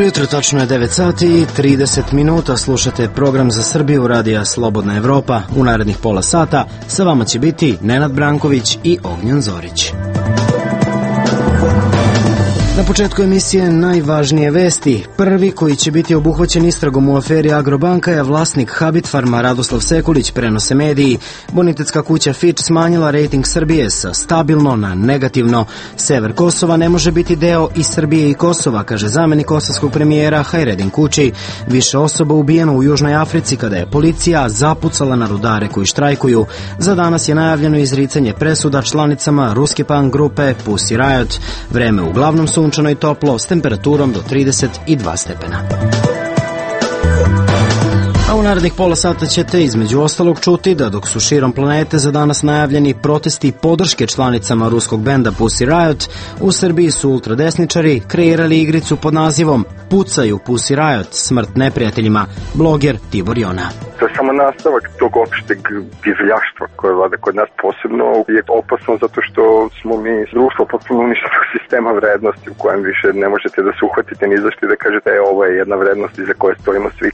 Dobro jutro, tačno je 9 sati i 30 minuta. Slušate program za Srbiju radija Slobodna Evropa. U narednih pola sata sa vama će biti Nenad Branković i Ognjen Zorić. Na početku emisije najvažnije vesti. Prvi koji će biti obuhvaćen istragom u aferi Agrobanka je vlasnik Habitfarma Radoslav Sekulić, prenose mediji. Bonitetska kuća Fitch smanjila rejting Srbije sa stabilno na negativno. Sever Kosova ne može biti deo i Srbije i Kosova, kaže zamenik kosovskog premijera Hajredin Kući. Više osoba ubijeno u Južnoj Africi kada je policija zapucala na rudare koji štrajkuju. Za danas je najavljeno izricanje presuda članicama ruske punk grupe Pussy Riot. Vreme uglavnom sunčano i toplo s temperaturom do 32 stepena. A u narednih pola sata ćete između ostalog čuti da dok su širom planete za danas najavljeni protesti podrške članicama ruskog benda Pussy Riot, u Srbiji su ultradesničari kreirali igricu pod nazivom Pucaju Pussy Riot, smrt neprijateljima, bloger Tibor Jona. To je samo nastavak tog opšteg divljaštva koje vlada kod nas, posebno je opasno zato što smo mi društvo potpuno uništenog sistema vrednosti u kojem više ne možete da se uhvatite ni zašto i da kažete ovo je jedna vrednost iza koje stojimo svi.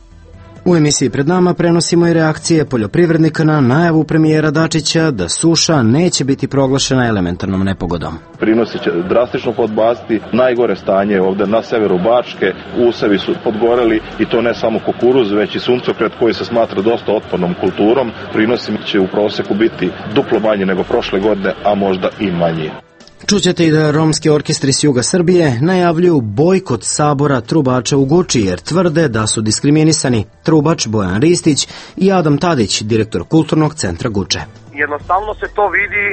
U emisiji pred nama prenosimo i reakcije poljoprivrednika na najavu premijera Dačića da suša neće biti proglašena elementarnom nepogodom. Prinosi će drastično podbaciti, najgore stanje ovde na severu Bačke, usevi su podgoreli i to ne samo kukuruz, već i suncokret koji se smatra dosta otpornom kulturom. Prinosi će u proseku biti duplo manji nego prošle godine, a možda i manji. Čućete i da romski orkestri s juga Srbije najavljuju bojkot sabora trubača u Guči jer tvrde da su diskriminisani. Trubač Bojan Ristić i Adam Tadić, direktor Kulturnog centra Guče. Jednostavno se to vidi,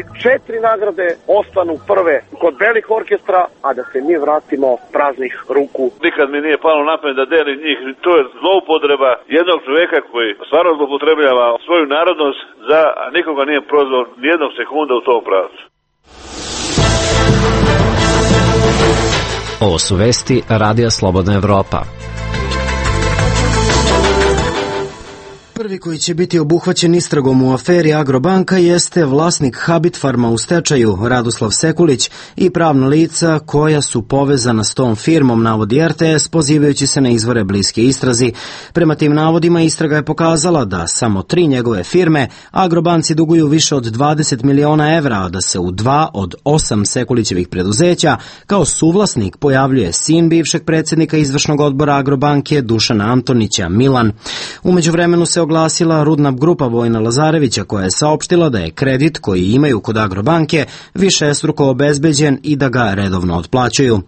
4 nagrade ostanu prve kod belih orkestra, a da se mi vratimo praznih ruku. Nikad mi nije palo na pamet da delim njih, to je zloupotreba jednog čoveka koji stvarno zloupotrebljava svoju narodnost a nikoga nije prozvao nijednog sekunda u tom pravcu. Ovo su vesti radija Slobodna Evropa. Prvi koji će biti obuhvaćen istragom u aferi Agrobanka jeste vlasnik Habitfarma u stečaju Radoslav Sekulić i pravna lica koja su povezana s tom firmom, navodi RTS, pozivajući se na izvore bliske istrazi. Prema tim navodima istraga je pokazala da samo 3 njegove firme Agrobanci duguju više od 20 miliona evra, a da se u 2 od 8 Sekulićevih preduzeća kao suvlasnik pojavljuje sin bivšeg predsjednika izvršnog odbora Agrobanke Dušana Antonića, Milan. U međuvremenu se oglasila rudna grupa Vojna Lazarevića koja je saopštila da je kredit koji imaju kod Agrobanke višestruko obezbeđen i da ga redovno otplaćuju.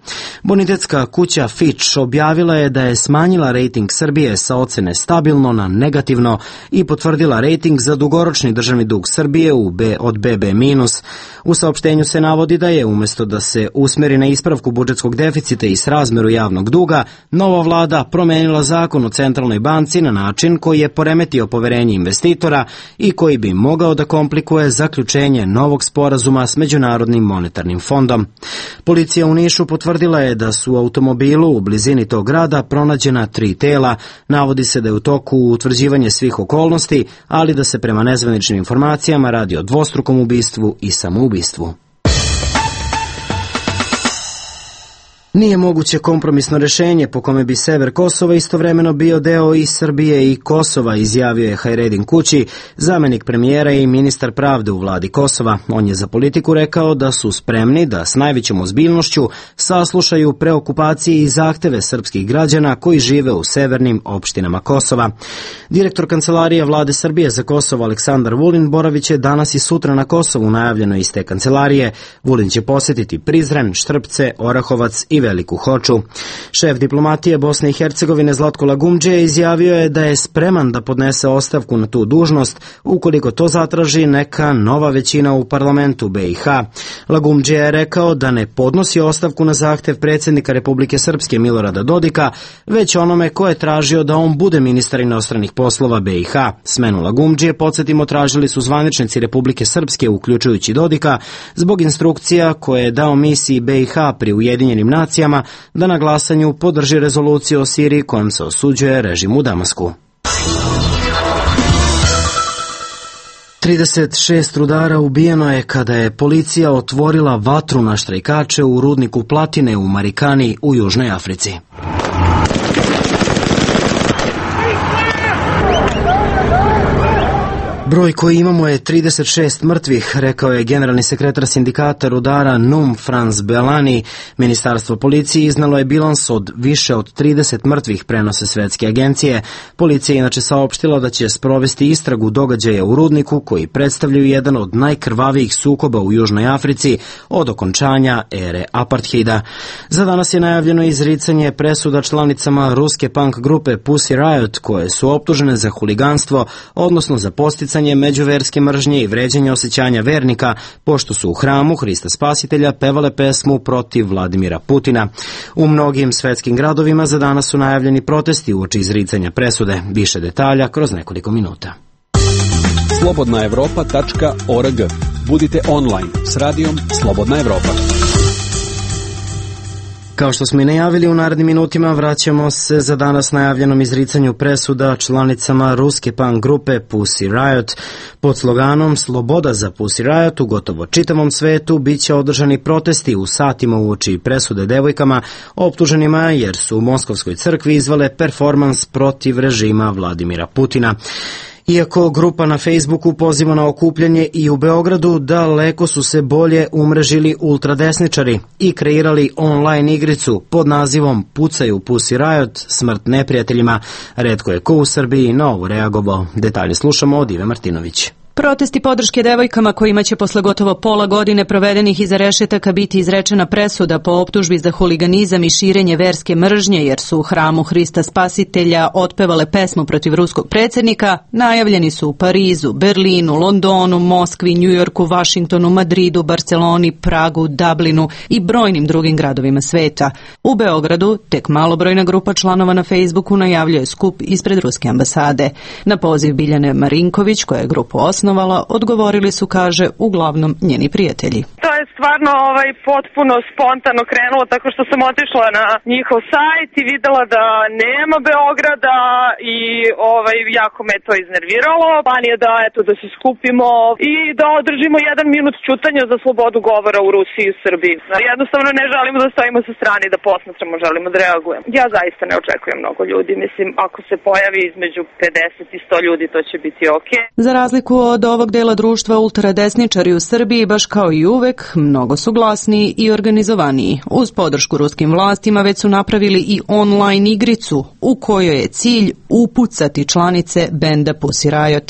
Bonitetska kuća Fitch objavila je da je smanjila rejting Srbije sa ocene stabilno na negativno i potvrdila rejting za dugoročni državni dug Srbije od BB-. U saopštenju se navodi da je umjesto da se usmeri na ispravku budžetskog deficita i srazmeru javnog duga, nova vlada promenila zakon o centralnoj banci na način koji je poremetio poverenje investitora i koji bi mogao da komplikuje zaključenje novog sporazuma s Međunarodnim monetarnim fondom. Policija u Nišu potvrdila je da su u automobilu u blizini tog grada pronađena 3 tela. Navodi se da je u toku utvrđivanje svih okolnosti, ali da se prema nezvaničnim informacijama radi o dvostrukom ubistvu i samoubistvu. Nije moguće kompromisno rješenje po kome bi sever Kosova istovremeno bio deo i Srbije i Kosova, izjavio je Hajredin Kući, zamenik premijera i ministar pravde u vladi Kosova. On je za Politiku rekao da su spremni da s najvećom ozbiljnošću saslušaju preokupacije i zahteve srpskih građana koji žive u severnim opštinama Kosova. Direktor Kancelarije vlade Srbije za Kosovo Aleksandar Vulin boravit je danas i sutra na Kosovu, najavljeno iz te kancelarije. Vulin će posjetiti Prizren, Štrpce, Orahovac i Veliku Hoču. Šef diplomatije Bosne i Hercegovine Zlatko Lagumdžije izjavio je da je spreman da podnese ostavku na tu dužnost ukoliko to zatraži neka nova većina u parlamentu BiH. Lagumdžije je rekao da ne podnosi ostavku na zahtev predsjednika Republike Srpske Milorada Dodika, već onome ko je tražio da on bude ministar inostranih poslova BiH. Smenu Lagumdžije, podsjetimo, tražili su zvaničnici Republike Srpske, uključujući Dodika, zbog instrukcija koje je dao misiji BiH pri Ujedinjenim nacijama da na glasanju podrži rezoluciju o Siriji kojom se osuđuje režim u Damasku. 36 rudara ubijeno je kada je policija otvorila vatru na štrajkače u rudniku platine u Marikani u Južnoj Africi. Broj koji imamo je 36 mrtvih, rekao je generalni sekretar sindikata rudara NUM Franz Belani. Ministarstvo policije iznalo je bilans od više od 30 mrtvih, prenose svetske agencije. Policija inače saopštila da će sprovesti istragu događaja u rudniku koji predstavljaju jedan od najkrvavijih sukoba u Južnoj Africi od okončanja ere apartheida. Za danas je najavljeno izricanje presuda članicama ruske punk grupe Pussy Riot koje su optužene za huliganstvo, odnosno za posticanje međuverske mržnje i vređanje osjećanja vernika, pošto su u hramu Hrista Spasitelja pevale pesmu protiv Vladimira Putina. U mnogim svetskim gradovima za danas su najavljeni protesti uoči izricanja presude. Više detalja kroz nekoliko minuta. Slobodnaevropa.org. Budite online s radijom Slobodna Evropa. Kao što smo i najavili, u narednim minutima vraćamo se za danas najavljenom izricanju presuda članicama ruske punk grupe Pussy Riot. Pod sloganom Sloboda za Pussy Riot u gotovo čitavom svetu biće održani protesti u satima uoči presude devojkama optuženima jer su u Moskovskoj crkvi izvale performans protiv režima Vladimira Putina. Iako grupa na Facebooku poziva na okupljanje i u Beogradu, daleko su se bolje umrežili ultradesničari i kreirali online igricu pod nazivom Pucaju Pussy Riot, smrt neprijateljima. Retko je ko u Srbiji na ovo reagovao. Detalje slušamo od Ive Martinović. Protesti podrške devojkama kojima će posle gotovo pola godine provedenih iza rešetaka biti izrečena presuda po optužbi za huliganizam i širenje verske mržnje jer su u hramu Hrista Spasitelja otpevale pesmu protiv ruskog predsjednika, najavljeni su u Parizu, Berlinu, Londonu, Moskvi, Njujorku, Vašingtonu, Madridu, Barceloni, Pragu, Dublinu i brojnim drugim gradovima sveta. U Beogradu tek malobrojna grupa članova na Facebooku najavljuje skup ispred ruske ambasade. Na poziv Biljane Marinković, koja je grupu osnovala, odgovorili su, kaže, uglavnom njeni prijatelji. To je stvarno potpuno spontano krenulo, tako što sam otišla na njihov sajt i videla da nema Beograda i jako me to iznerviralo. Plan je da se skupimo i da održimo 1 minut ćutanja za slobodu govora u Rusiji i Srbiji. Jednostavno ne želimo da stojimo sa strane i da posmatramo, želimo da reagujemo. Ja zaista ne očekujem mnogo ljudi, mislim, ako se pojavi između 50 i 100 ljudi, to će biti okej. Za razliku od ovog dela društva, ultradesničari u Srbiji, baš kao i uvek, mnogo su glasniji i organizovaniji. Uz podršku ruskim vlastima već su napravili i online igricu u kojoj je cilj upucati članice benda Pussy Riot.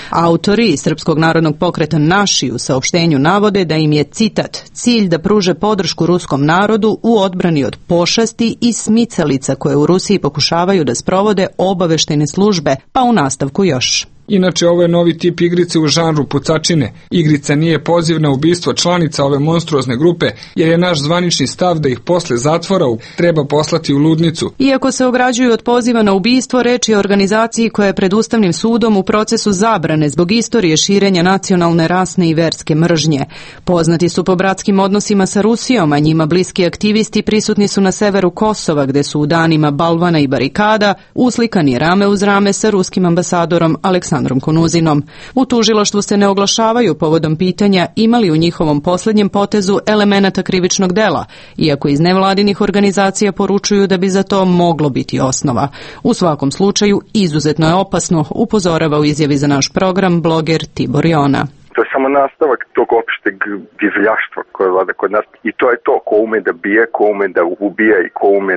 Autori Srpskog narodnog pokreta Naši u saopštenju navode da im je, citat, cilj da pruže podršku ruskom narodu u odbrani od pošasti i smicalica koje u Rusiji pokušavaju da sprovode obaveštajne službe, pa u nastavku još. Inače, ovo je novi tip igrice u žanru pucačine. Igrica nije poziv na ubistvo članica ove monstruozne grupe, jer je naš zvanični stav da ih posle zatvora treba poslati u ludnicu. Iako se ograđuju od poziva na ubistvo, reč je o organizaciji koja je pred Ustavnim sudom u procesu zabrane zbog istorije širenja nacionalne, rasne i verske mržnje. Poznati su po bratskim odnosima sa Rusijom, a njima bliski aktivisti prisutni su na severu Kosova, gde su u danima balvana i barikada uslikani rame uz rame sa ruskim ambasadorom Aleksandrom Konuzinom. U tužilaštvu se ne oglašavaju povodom pitanja imali u njihovom posljednjem potezu elemenata krivičnog dela, iako iz nevladinih organizacija poručuju da bi za to moglo biti osnova. U svakom slučaju, izuzetno je opasno, upozorava u izjavi za naš program bloger Tibor Jona. To je samo nastavak tog opšteg divljaštva koje vlada kod nas i to je to, ko ume da bije, ko ume da ubija i ko ume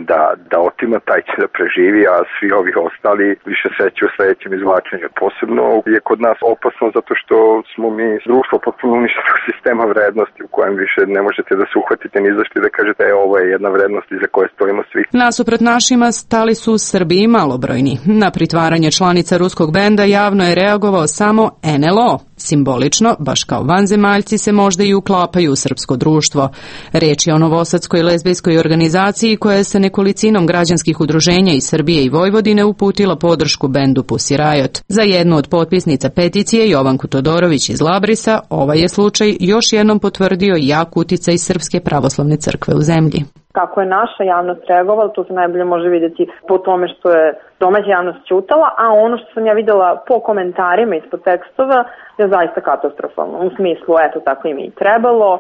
da otima, taj će da preživi, a svi ovi ostali više sreće u sledećem izvlačenju. Posebno je kod nas opasno zato što smo mi društvo potpuno uništenog sistema vrednosti u kojem više ne možete da se uhvatite ni zašto da kažete ovo je jedna vrednost iza koje stojimo svi. Nasuprot našima stali su Srbi i malobrojni. Na pritvaranje članica ruskog benda javno je reagovao samo NLO. Simbolično, baš kao vanzemaljci, se možda i uklapaju u srpsko društvo. Reč je o novosadskoj lezbijskoj organizaciji koja je sa nekolicinom građanskih udruženja iz Srbije i Vojvodine uputila podršku bendu Pussy Riot. Za jednu od potpisnica peticije, Jovanku Todorović iz Labrisa, ovaj je slučaj još jednom potvrdio jak uticaj Srpske pravoslavne crkve u zemlji. Kako je naša javnost reagovala, to se najbolje može vidjeti po tome što je domaća javnost ćutala, a ono što sam ja videla po komentarima ispod tekstova je zaista katastrofalno. U smislu, eto, tako im i trebalo,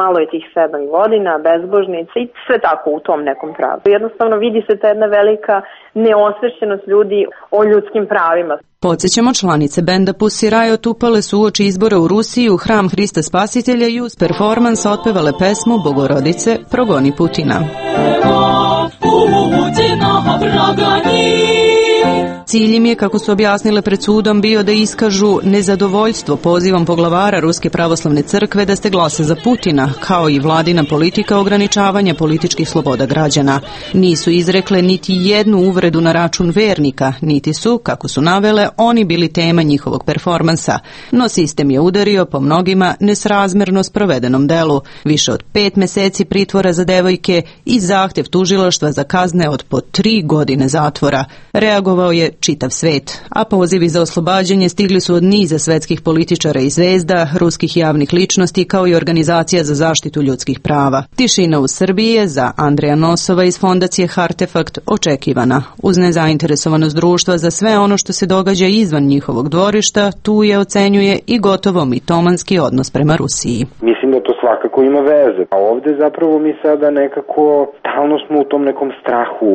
malo je tih 7 godina, bezbožnica i sve tako u tom nekom pravcu. Jednostavno vidi se ta jedna velika neosvešćenost ljudi o ljudskim pravima. Podsjećamo, članice benda Pussy Riot upale su uoči izbora u Rusiji u hram Hrista Spasitelja i uz performans otpevale pesmu Bogorodice progoni Putina. Cilj im je, kako su objasnile pred sudom, bio da iskažu nezadovoljstvo pozivom poglavara Ruske pravoslavne crkve da se glasa za Putina, kao i vladina politika ograničavanja političkih sloboda građana. Nisu izrekle niti jednu uvredu na račun vernika, niti su, kako su navele, oni bili tema njihovog performansa. No sistem je udario po mnogima nesrazmerno sprovedenom delu. Više od 5 meseci pritvora za devojke i zahtjev tužilaštva za kazne od po 3 godine zatvora. Reagovao je čitav svet, a pozivi za oslobađanje stigli su od niza svetskih političara i zvezda, ruskih javnih ličnosti kao i organizacija za zaštitu ljudskih prava. Tišina u Srbiji je za Andreja Nosova iz fondacije Hartefakt očekivana. Uz nezainteresovanost društva za sve ono što se događa izvan njihovog dvorišta, tu je, ocenjuje, i gotovo mitomanski odnos prema Rusiji. Mislim da to svakako ima veze. A ovde zapravo mi sada nekako stalno smo u tom nekom strahu,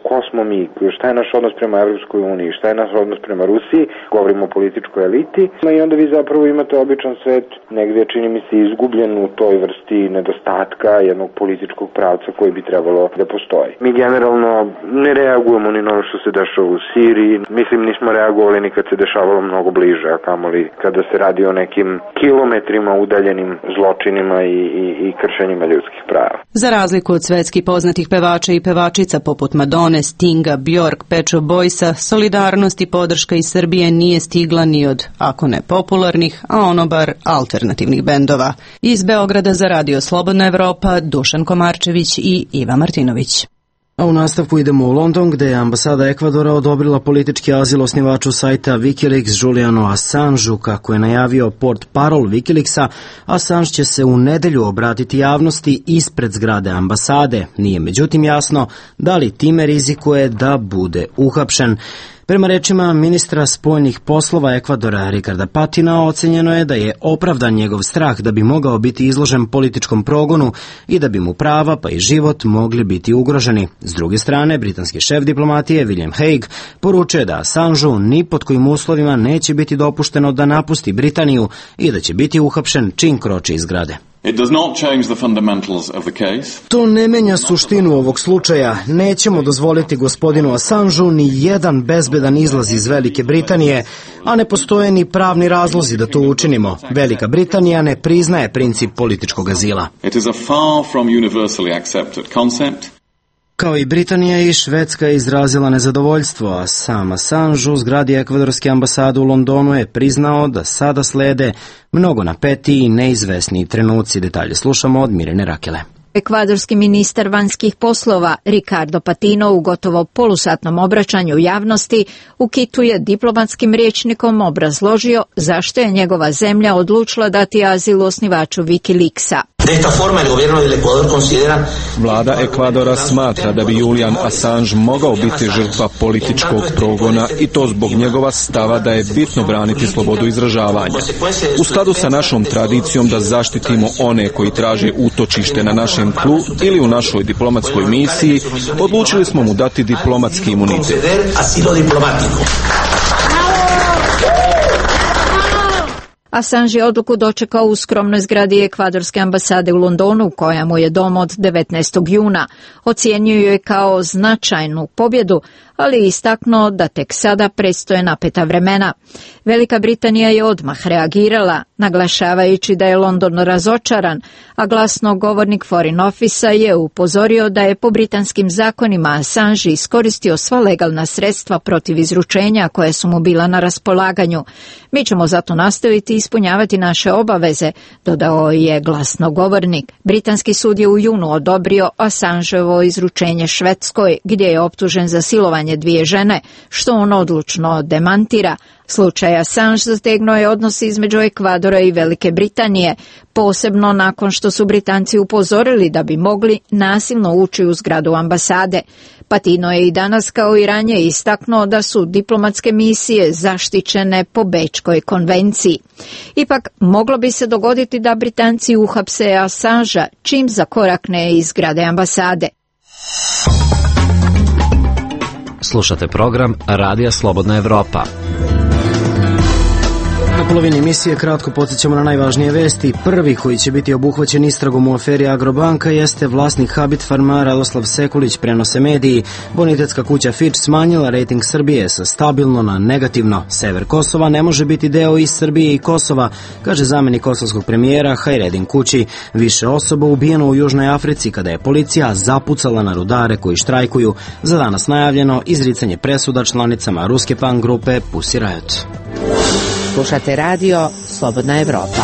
ko smo mi, šta je naš odnos prema Evropskoj uniji, šta je naš odnos prema Rusiji, govorimo o političkoj eliti, i onda vi zapravo imate običan svet negdje, čini mi se, izgubljen u toj vrsti nedostatka jednog političkog pravca koji bi trebalo da postoji. Mi generalno ne reagujemo ni na ono što se dešava u Siriji, mislim nismo reagovali ni kad se dešavalo mnogo bliže, a kamoli kada se radi o nekim kilometrima udaljenim zločinima i kršenjima ljudskih prava. Za razliku od svetski poznatih pevača i pevačica poput Madone, Stinga, Bjork, Pet Shop Boysa, solidarnost i podrška iz Srbije nije stigla ni od, ako ne popularnih, a ono bar alternativnih bendova. Iz Beograda za Radio Slobodna Evropa, Dušan Komarčević i Iva Martinović. A u nastavku idemo u London, gde je ambasada Ekvadora odobrila politički azil osnivaču sajta Wikileaks Julianu Assangeu. Kako je najavio portparol Wikileaksa, Assange će se u nedelju obratiti javnosti ispred zgrade ambasade. Nije međutim jasno da li time rizikuje da bude uhapšen. Prema rečima ministra spoljnih poslova Ekvadora Ricarda Patina, ocenjeno je da je opravdan njegov strah da bi mogao biti izložen političkom progonu i da bi mu prava pa i život mogli biti ugroženi. S druge strane, britanski šef diplomatije William Hague poručuje da Assangeu ni pod kojim uslovima neće biti dopušteno da napusti Britaniju i da će biti uhapšen čim kroči iz zgrade. To ne menja suštinu ovog slučaja. Nećemo dozvoliti gospodinu Assangeu ni jedan bezbedan izlaz iz Velike Britanije, a ne postoje ni pravni razlozi da to učinimo. Velika Britanija ne priznaje princip političkog azila. Kao i Britanija i Švedska je izrazila nezadovoljstvo, a sam Assange u zgradi ekvadorske ambasade u Londonu je priznao da sada slede mnogo napetiji i neizvesniji trenuci. Detalje slušamo od Mirjane Rakele. Ekvadorski ministar vanjskih poslova Ricardo Patino u gotovo polusatnom obraćanju javnosti u Kitu je diplomatskim rječnikom obrazložio zašto je njegova zemlja odlučila dati azil osnivaču Wikileaksa. Vlada Ekvadora smatra da bi Julian Assange mogao biti žrtva političkog progona i to zbog njegova stava da je bitno braniti slobodu izražavanja. U skladu sa našom tradicijom da zaštitimo one koji traže utočište na našem tlu ili u našoj diplomatskoj misiji, odlučili smo mu dati diplomatski imunitet. Assange je odluku dočekao u skromnoj zgradi ekvadorske ambasade u Londonu, koja mu je dom od 19. juna. Ocijenio je kao značajnu pobjedu, ali je istaknuo da tek sada predstoje napeta vremena. Velika Britanija je odmah reagirala, naglašavajući da je London razočaran, a glasnogovornik Foreign Office je upozorio da je po britanskim zakonima Assange iskoristio sva legalna sredstva protiv izručenja koje su mu bila na raspolaganju. Mi ćemo zato nastaviti ispunjavati naše obaveze, dodao je glasnogovornik. Britanski sud je u junu odobrio Assangeovo izručenje Švedskoj, gdje je optužen za silovanje najmanje 2 žene, što on odlučno demantira. Slučaj Assange zategnuo je odnos između Ekvadora i Velike Britanije, posebno nakon što su Britanci upozorili da bi mogli nasilno ući u zgradu ambasade. Patino je i danas kao i ranije istaknuo da su diplomatske misije zaštićene po Bečkoj konvenciji. Ipak, moglo bi se dogoditi da Britanci uhapse Assangea čim zakorakne iz zgrade ambasade. Slušate program Radija Slobodna Evropa. Na polovini emisije kratko podsjećamo na najvažnije vesti. Prvi koji će biti obuhvaćen istragom u aferi Agrobanka jeste vlasnik Habit Farma Radoslav Sekulić, prenose mediji. Bonitetska kuća Fitch smanjila rejting Srbije sa stabilno na negativno. Sever Kosova ne može biti deo i Srbije i Kosova, kaže zamenik kosovskog premijera Hajredin Kući. Više osoba ubijeno u Južnoj Africi kada je policija zapucala na rudare koji štrajkuju. Za danas najavljeno izricanje presuda članicama ruske punk grupe Pussy Riot. Slušate radio Slobodna Evropa.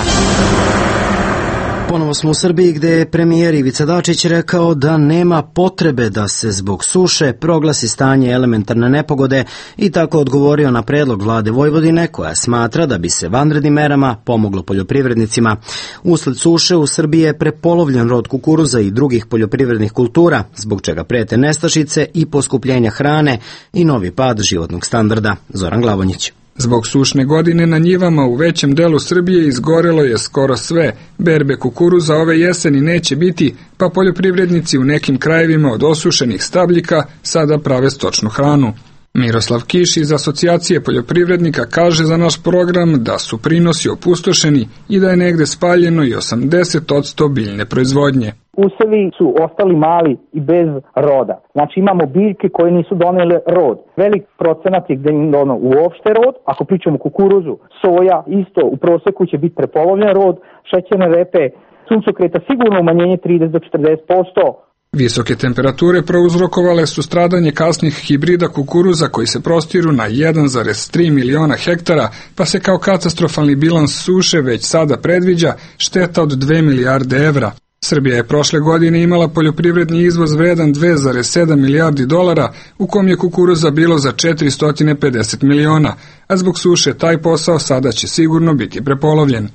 Ponovo smo u Srbiji gde je premijer Ivica Dačić rekao da nema potrebe da se zbog suše proglasi stanje elementarne nepogode i tako odgovorio na predlog vlade Vojvodine koja smatra da bi se vanrednim merama pomoglo poljoprivrednicima. Usled suše u Srbiji je prepolovljen rod kukuruza i drugih poljoprivrednih kultura, zbog čega prete nestašice i poskupljenja hrane i novi pad životnog standarda. Zoran Glavonjić. Zbog sušne godine na njivama u većem delu Srbije izgorelo je skoro sve. Berbe kukuruza ove jeseni neće biti, pa poljoprivrednici u nekim krajevima od osušenih stabljika sada prave stočnu hranu. Miroslav Kiš iz Asocijacije poljoprivrednika kaže za naš program da su prinosi opustošeni i da je negde spaljeno i 80% biljne proizvodnje. Usevi su ostali mali i bez roda. Znači imamo biljke koje nisu donele rod. Velik procenat je gde im dono uopšte rod. Ako pričamo kukuruzu, soja, isto u proseku će biti prepolovljen rod, šećerne repe, suncokreta sigurno umanjenje 30 do 40%. Visoke temperature prouzrokovale su stradanje kasnih hibrida kukuruza koji se prostiru na 1,3 miliona hektara, pa se kao katastrofalni bilans suše već sada predviđa šteta od 2 milijarde evra. Srbija je prošle godine imala poljoprivredni izvoz vredan 2,7 milijardi dolara, u kom je kukuruza bilo za 450 miliona, a zbog suše taj posao sada će sigurno biti prepolovljen.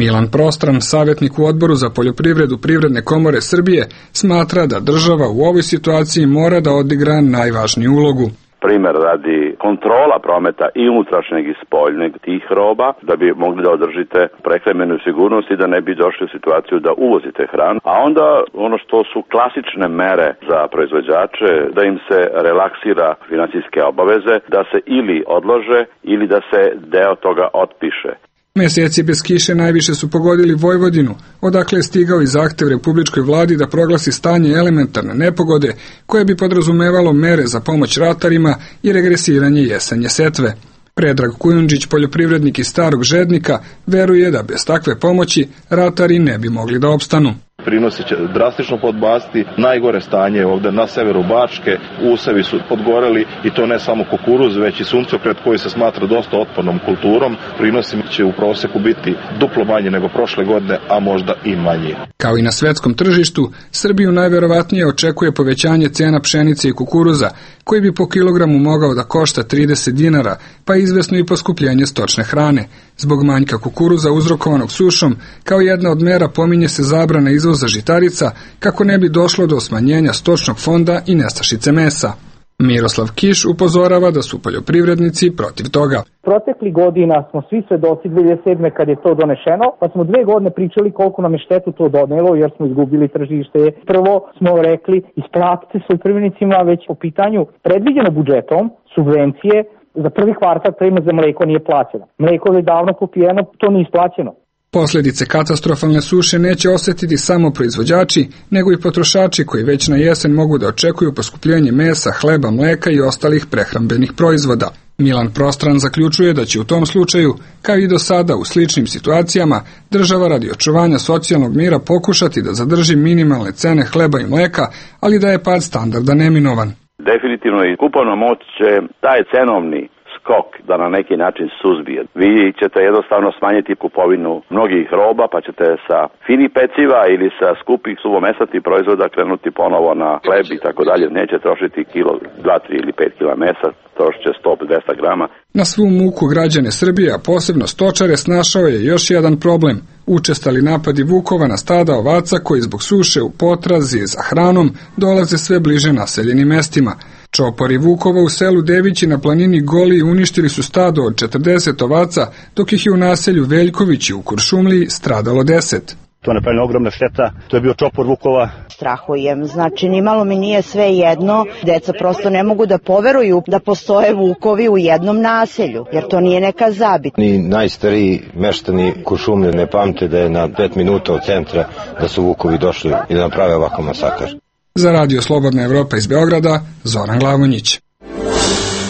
Milan Prostran, savjetnik u Odboru za poljoprivredu Privredne komore Srbije, smatra da država u ovoj situaciji mora da odigra najvažniju ulogu. Primer radi kontrola prometa i unutrašnjeg i spoljneg tih roba, da bi mogli da održite prehrambenu sigurnost i da ne bi došli u situaciju da uvozite hranu. A onda ono što su klasične mere za proizvođače, da im se relaksira finansijske obaveze, da se ili odlože ili da se deo toga otpiše. Meseci bez kiše najviše su pogodili Vojvodinu, odakle je stigao i zahtev republičkoj vladi da proglasi stanje elementarne nepogode, koje bi podrazumevalo mere za pomoć ratarima i regresiranje jesenje setve. Predrag Kujundžić, poljoprivrednik iz Starog Žednika, veruje da bez takve pomoći ratari ne bi mogli da opstanu. Prinosi će drastično podbasti, najgore stanje ovde na severu Bačke, usevi su podgoreli i to ne samo kukuruz, već i suncokret koji se smatra dosta otpornom kulturom. Prinosi će u proseku biti duplo manje nego prošle godine, a možda i manje. Kao i na svetskom tržištu, Srbiju najverovatnije očekuje povećanje cena pšenice i kukuruza, koji bi po kilogramu mogao da košta 30 dinara, pa izvesno i poskupljenje stočne hrane. Zbog manjka kukuruza uzrokovanog sušom, kao jedna od mera pominje se zabrana izvoza žitarica kako ne bi došlo do smanjenja stočnog fonda i nestašice mesa. Miroslav Kiš upozorava da su poljoprivrednici protiv toga. Protekli godina smo svi svedoci 2007. kad je to donešeno, pa smo 2 godine pričali koliko nam je štetu to donelo jer smo izgubili tržište. Prvo smo rekli isplatite se poljoprivrednicima već po pitanju predviđeno budžetom subvencije. Za prvi kvartal premija za mleko nije plaćena. Mleko je davno popijeno, to nije isplaćeno. Posljedice katastrofalne suše neće osjetiti samo proizvođači, nego i potrošači koji već na jesen mogu da očekuju poskupljenje mesa, hleba, mleka i ostalih prehrambenih proizvoda. Milan Prostran zaključuje da će u tom slučaju, kao i do sada u sličnim situacijama, država radi očuvanja socijalnog mira pokušati da zadrži minimalne cene hleba i mleka, ali da je pad standarda neminovan. Definitivno i kupovna moć će taj cenovni skok da na neki način suzbije. Vi ćete jednostavno smanjiti kupovinu mnogih roba, pa ćete sa finih peciva ili sa skupih suvomesatih proizvoda krenuti ponovo na hleb i tako dalje. Neće trošiti kilo, 2, 3 ili 5 kila mesa, trošit će 100-200 grama. Na svu muku građane Srbije, a posebno stočare, snašao je još jedan problem. Učestali napadi vukova na stada ovaca koji zbog suše u potrazi za hranom dolaze sve bliže naseljenim mestima. Čopori vukova u selu Devići na planini Goli uništili su stado od 40 ovaca, dok ih je u naselju Veljkovići u Kuršumliji stradalo 10. To je napravljena ogromna šteta, to je bio čopor vukova. Strahujem, znači nimalo mi nije sve jedno, deca prosto ne mogu da poveruju da postoje vukovi u jednom naselju, jer to nije neka zabit. Ni najstariji meštani Kuršumlije ne pamte da je na 5 minuta od centra da su vukovi došli i da naprave ovakav masakar. Za Radio Slobodna Evropa iz Beograda, Zoran Glavonjić.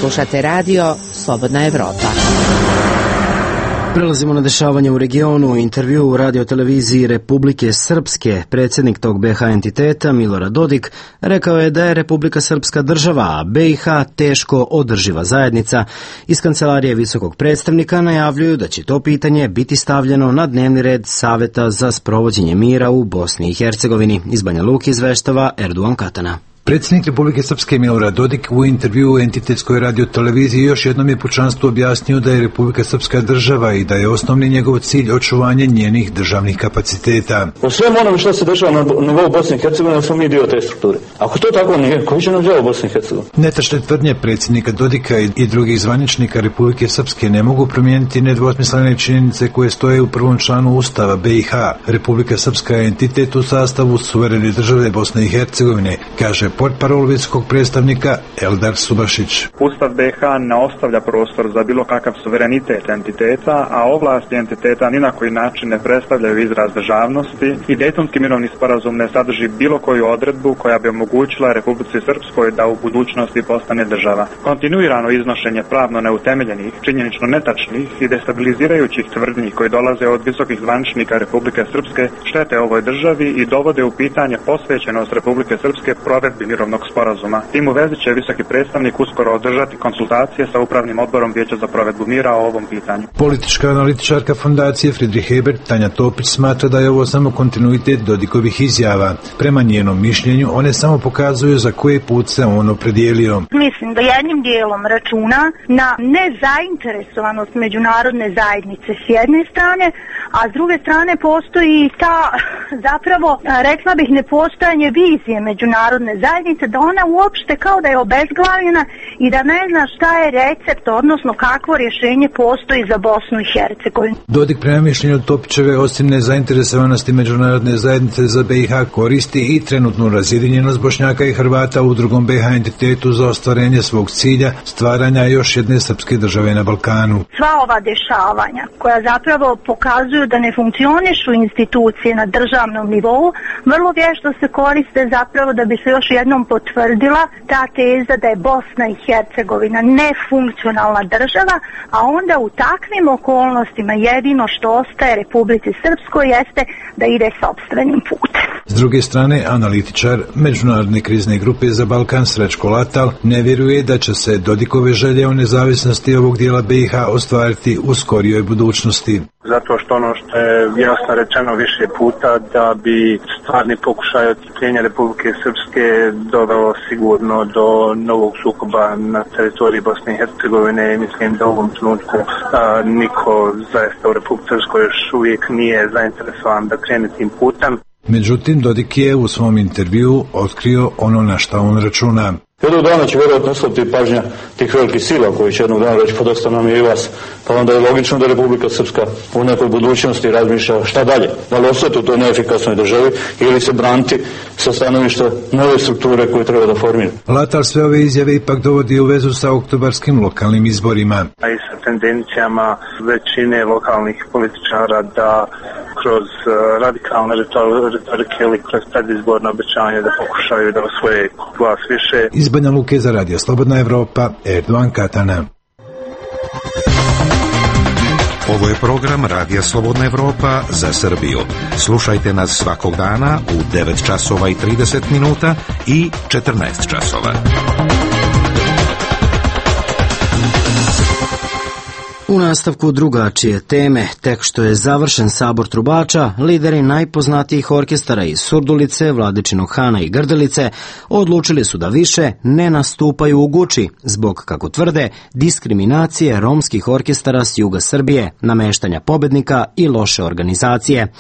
Slušate Radio Slobodna Evropa. Prelazimo na dešavanje u regionu. U intervju u radioteleviziji Republike Srpske predsjednik tog BiH entiteta Milorad Dodik rekao je da je Republika Srpska država, a BiH teško održiva zajednica. Iz kancelarije visokog predstavnika najavljuju da će to pitanje biti stavljeno na dnevni red Saveta za sprovođenje mira u Bosni i Hercegovini. Iz Banja Luke izveštava Erduan Katana. Predsjednik Republike Srpske Milorad Dodik u intervjuu u entitetskoj radioteleviziji još jednom je pučanstvu objasnio da je Republika Srpska država i da je osnovni njegov cilj očuvanje njenih državnih kapaciteta. U svemu onome što se dešava na nivou Bosne i Hercegovine smo mi dio te strukture. Ako to tako nije, koji će nam djelo Bosne i Hercegovine? Netačne tvrdnje predsjednika Dodika i drugih zvaničnika Republike Srpske ne mogu promijeniti nedvosmislene činjenice koje stoje u prvom članu Ustava BiH. Republika Srpska je entitet u sastavu suverene države Bosne i Hercegovine, kaže portparol visokog predstavnika Eldar Subašić. Ustav BiH ne ostavlja prostor za bilo kakav suverenitet entiteta, a ovlasti entiteta ni na koji način ne predstavljaju izraz državnosti i Dejtonski mirovni sporazum ne sadrži bilo koju odredbu koja bi omogućila Republici Srpskoj da u budućnosti postane država. Kontinuirano iznošenje pravno neutemeljenih, činjenično netačnih i destabilizirajućih tvrdnji koji dolaze od visokih zvaničnika Republike Srpske štete ovoj državi i dovode u pitanje posvećenost Republike Srpske provedbi mirovnog sporazuma. Tim u vezi će visoki predstavnik uskoro održati konsultacije sa upravnim odborom Vijeća za provedbu mira o ovom pitanju. Politička analitičarka fondacije Friedrich Ebert Tanja Topić smatra da je ovo samo kontinuitet Dodikovih izjava. Prema njenom mišljenju one samo pokazuju za koji put se on opredijelio. Mislim da jednim dijelom računa na nezainteresovanost međunarodne zajednice s jedne strane, a s druge strane postoji ta zapravo, rekla bih, nepostojanje vizije međunarodne zajednice, da ona uopšte kao da je obezglavljena i da ne zna šta je recept, odnosno kakvo rješenje postoji za Bosnu i Hercegovinu. Dodik prema mišljenju Topićeve osim nezainteresovanosti međunarodne zajednice za BiH koristi i trenutnu razjedinjenost Bošnjaka i Hrvata u drugom BiH entitetu za ostvarenje svog cilja stvaranja još jedne srpske države na Balkanu. Sva ova dešavanja koja zapravo pokazuju da ne funkcionišu institucije na državnom nivou, vrlo vješto se koriste zapravo da bi se još jednom potvrdila ta teza da je Bosna i Hercegovina nefunkcionalna država, a onda u takvim okolnostima jedino što ostaje Republici Srpskoj jeste da ide sopstvenim putem. S druge strane, analitičar Međunarodne krizne grupe za Balkan Srećko Latal ne vjeruje da će se Dodikove želje o nezavisnosti ovog dijela BiH ostvariti u skorijoj budućnosti. Zato što ono što je jasno rečeno više puta, da bi stvarni pokušaj otcepljenja Republike Srpske doveo sigurno do novog sukoba na teritoriji Bosne i Hercegovine. Mislim da u ovom trenutku niko zaista u Republike Srpskoj još uvijek nije zainteresovan da krene tim putem. Međutim, Dodik je u svom intervjuu otkrio ono na šta on računa. Jednog dana će vjerojatno ostati pažnja tih velikih sila koji će jednog dana reći pa dosta nam je i vas. Pa onda je logično da Republika Srpska u nekoj budućnosti razmišlja šta dalje. Da li ostati u toj neefikasnoj državi ili se braniti sa stanovišta nove strukture koje treba da formira. Latal sve ove izjave ipak dovodi u vezu sa oktobarskim lokalnim izborima. A i sa tendencijama većine lokalnih političara da kroz radikalne retorike ili kroz predizborno obećanje da pokušaju da osvoje glas više. Iz Banja Luke za Radio Slobodna Evropa, Erduan Katana. Ovo je program Radija Slobodna Evropa za Srbiju. Slušajte nas svakog dana u 9 časova i 30 minuta i 14 časova. U nastavku drugačije teme, tek što je završen sabor trubača, lideri najpoznatijih orkestara iz Surdulice, Vladičinog Hana i Grdelice odlučili su da više ne nastupaju u Guči, zbog, kako tvrde, diskriminacije romskih orkestara s juga Srbije, nameštanja pobednika i loše organizacije.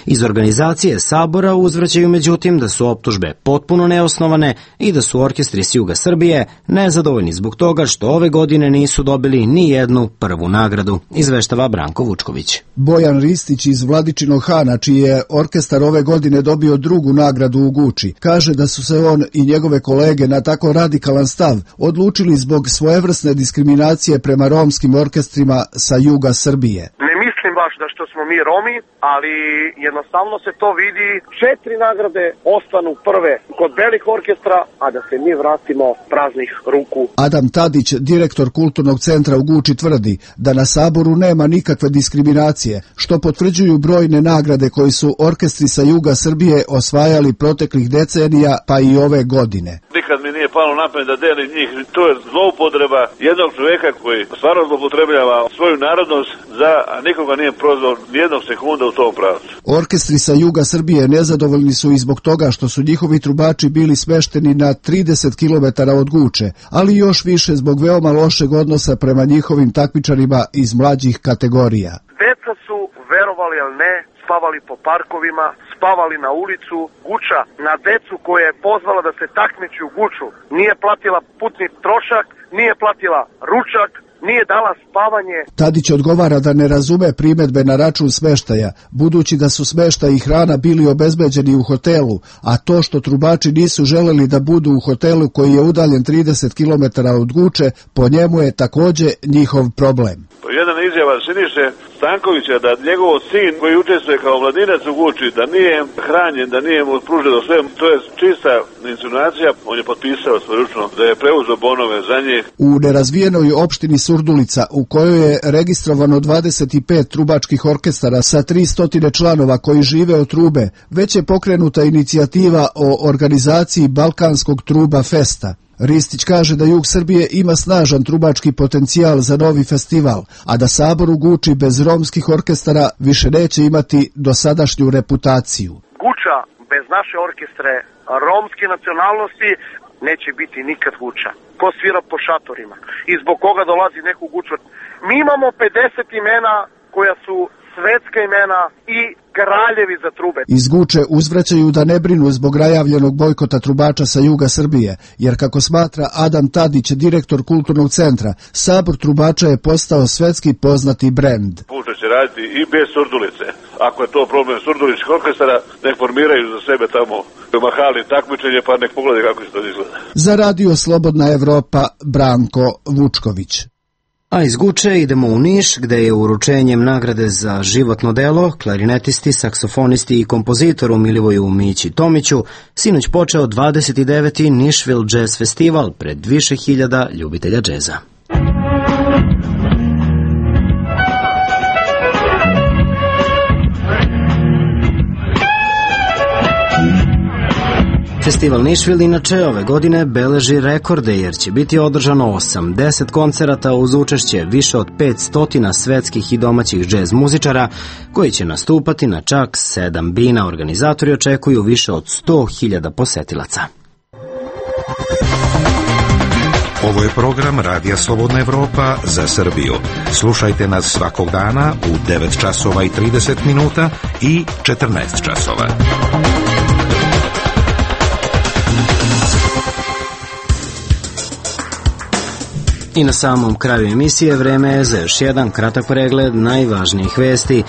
Iz organizacije sabora uzvraćaju međutim da su optužbe potpuno neosnovane i da su orkestri s juga Srbije nezadovoljni zbog toga što ove godine nisu dobili ni jednu prvu nagradu, izveštava Branko Vučković. Bojan Ristić iz Vladičinog Hana, čiji je orkestar ove godine dobio drugu nagradu u Guči, kaže da su se on i njegove kolege na tako radikalan stav odlučili zbog svojevrsne diskriminacije prema romskim orkestrima sa juga Srbije. Ne mislim baš da što smo mi Romi, ali jednostavno se to vidi. 4 nagrade ostanu prve kod belih orkestra, a da se mi vratimo praznih ruku. Adam Tadić, direktor Kulturnog centra u Guči, tvrdi da na saboru nema nikakve diskriminacije, što potvrđuju brojne nagrade koji su orkestri sa juga Srbije osvajali proteklih decenija pa i ove godine. Nikad mi nije palo na pamet da delim njih, to je zloupotreba jednog čovjeka koji stvarno zloupotrebljava svoju narodnost a nikoga nije prozvao nijednog sekunda u tom pravcu. Orkestri sa juga Srbije nezadovoljni su i zbog toga što su njihovi trubači bili smešteni na 30 km od Guče, ali još više zbog veoma lošeg odnosa prema njihovim takmičarima iz mlađih kategorija. Deca su, verovali ili ne, spavali po parkovima, spavali na ulicu. Guča na decu koje je pozvala da se takmiči u Guču nije platila putni trošak, nije platila ručak, nije dala spavanje. Tadić odgovara da ne razume primedbe na račun smeštaja, budući da su smeštaj i hrana bili obezbeđeni u hotelu, a to što trubači nisu želeli da budu u hotelu koji je udaljen 30 km od Guče, po njemu je takođe njihov problem. Jedna izjava Siniše Stankovića da njegov sin koji učestvuje kao mladinac u Guči, da nije hranjen, da nije mu pruženo sve, to je čista insinuacija. On je potpisao svojeručno da je preuzeo bonove za njih. U nerazvijenoj opštini Surdulica, u kojoj je registrovano 25 trubačkih orkestara sa 300 članova koji žive od trube, već je pokrenuta inicijativa o organizaciji Balkanskog truba festa. Ristić kaže da jug Srbije ima snažan trubački potencijal za novi festival, a da sabor u Guči bez romskih orkestara više neće imati dosadašnju reputaciju. Guča bez naše orkestre romske nacionalnosti neće biti nikad Guča. Ko svira po šatorima i zbog koga dolazi neku Guču. Mi imamo 50 imena koja su svetska imena i kraljevi za trube. Iz Guče uzvraćaju da ne brinu zbog najavljenog bojkota trubača sa juga Srbije, jer kako smatra Adam Tadić, direktor Kulturnog centra, sabor trubača je postao svetski poznati brend. Guča će raditi i bez Surdulice. Ako je to problem surduličkih orkestara, nek formiraju za sebe tamo mahali takmičenje, pa nek pogledaju kako se to izgleda. Za Radio Slobodna Evropa, Branko Vučković. A iz Guče idemo u Niš, gde je uručenjem nagrade za životno delo klarinetisti, saksofonisti i kompozitoru Milivoju Mići Tomiću sinoć počeo 29. Nashville Jazz Festival pred više hiljada ljubitelja džeza. Festival Nashville inače ove godine beleži rekorde jer će biti održano 80 koncerata uz učešće više od 500 svetskih i domaćih džez muzičara koji će nastupati na čak 7 bina. Organizatori očekuju više od 100.000 posetilaca. Ovo je program Radija Slobodna Evropa za Srbiju. Slušajte nas svakog dana u 9 časova i 30 minuta i 14 časova. I na samom kraju emisije vreme je za još jedan kratak pregled najvažnijih vesti.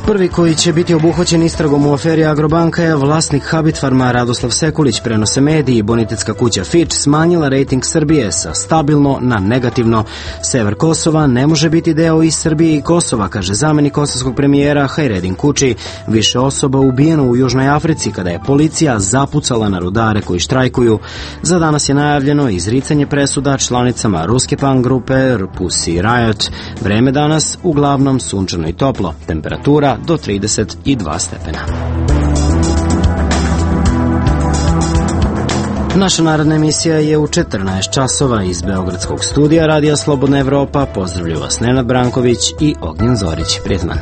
Prvi koji će biti obuhvaćen istragom u aferi Agrobanka je vlasnik Habitfarma Radoslav Sekulić. Prenose mediji. Bonitetska kuća Fitch smanjila rejting Srbije sa stabilno na negativno. Sever Kosova ne može biti deo i Srbije i Kosova, kaže zamenik kosovskog premijera Hajredin Kuči. Više osoba ubijeno u Južnoj Africi kada je policija zapucala na rudare koji štrajkuju. Za danas je najavljeno izricanje presuda članicama ruske punk grupe Pussy Riot. Vreme danas uglavnom sunčano i toplo. Temperatura do 32 stepena. Naša narodna emisija je u 14 časova iz Beogradskog studija Radija Slobodna Evropa. Pozdravlju vas Nenad Branković i Ognjen Zorić. Prijetno.